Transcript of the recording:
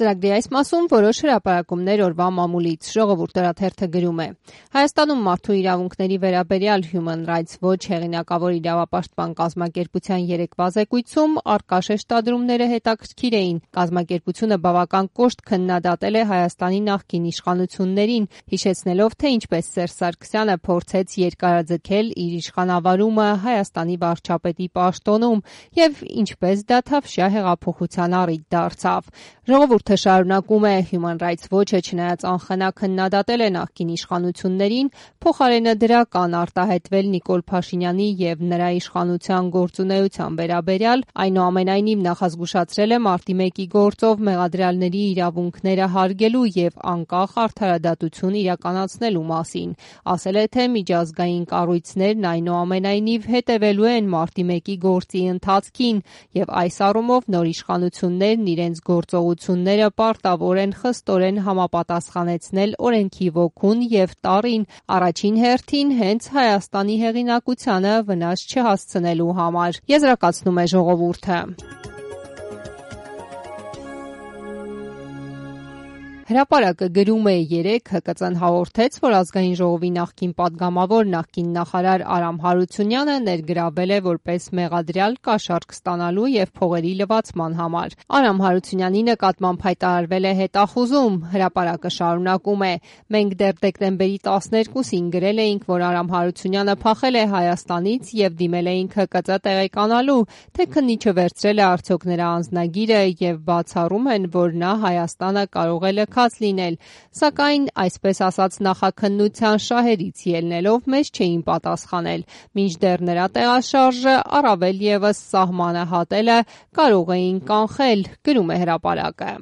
Ծրագրի այս մասում որոշ հրապարակումներ օրվա մամուլից, Ժողովուրդ օրաթերթը գրում է. Հայաստանում մարդու իրավունքների վերաբերյալ Human Rights Watch հեղինակավոր իրավապաշտպան կազմակերպության երեկվա զեկույցում առկա շեշտադրումները հետաքրքիր էին. կազմակերպությունը բավական կոշտ քննադատել է Հայաստանի նախկին իշխանություններին, հիշեցնելով, թե ինչպես Սերժ Սարգսյանը փորձեց երկարաձգել իր իշխանավարումը Հայաստանի վարչապետի պաշտոնում եւ ինչպես դա թավշյա հեղափոխության առիթ դարձավ։ Ժողովուրդը շարունակում է. Human Rights Watch-ը չնայած անխնա քննադատել է նախկին իշխանություններին, փոխարենը դրական արտահայտվել Նիկոլ Փաշինյանի եւ նրա իշխանության գործունեության վերաբերյալ, այնուամենայնիվ նախազգուշացրել է մարտի 1-ի գործով մեղադրյալների իրավունքները հարգելու եւ անկախ արդարադատություն իրականացնելու մասին։ Ասել է, թե միջազգային կառույցներն այնուամենայնիվ հետևելու են մարտի 1-ի գործի ընթացքին եւ այս առումով նոր իշխանություններն իրենց գործողությունները պարտավոր են խստորեն համապատասխանեցնել օրենքի ոգուն եւ տարրին, առաջին հերթին հենց Հայաստանի հեղինակությանը վնաս չհասցնելու համար, եզրակացնում է Ժողովուրդը։ Հրապարակը գրում է. երեկ ՀԿԾ-ն հաղորդեց, որ Ազգային ժողովի նախկին պատգամավոր, նախկին նախարար Արամ Հարությունյանը ներգրավել է որպես մեղադրյալ կաշառք ստանալու եւ փողերի լվացման համար։ Արամ Հարությունյանի նկատմամբ հայտարարվել է հետախուզում։ Հրապարակը շարունակում է. մենք դեռ դեկտեմբերի 12-ին գրել էինք, որ Արամ Հարությունյանը փախել է Հայաստանից եւ դիմել էինք ՀԿԾ տեղեկանալու, թե քննիչը վերցրել է արդյոք նրա անձնագիրը եւ բացառում են, որ նա Հայաստանը կարող է լինել, սակայն այսպես ասած նախաքննության շահերից ելնելով մեզ չէին պատասխանել, մինչդեռ նրա տեղաշարժը առավել եւս սահմանը հատելը կարող էին կանխել, գրում է հրապարակը։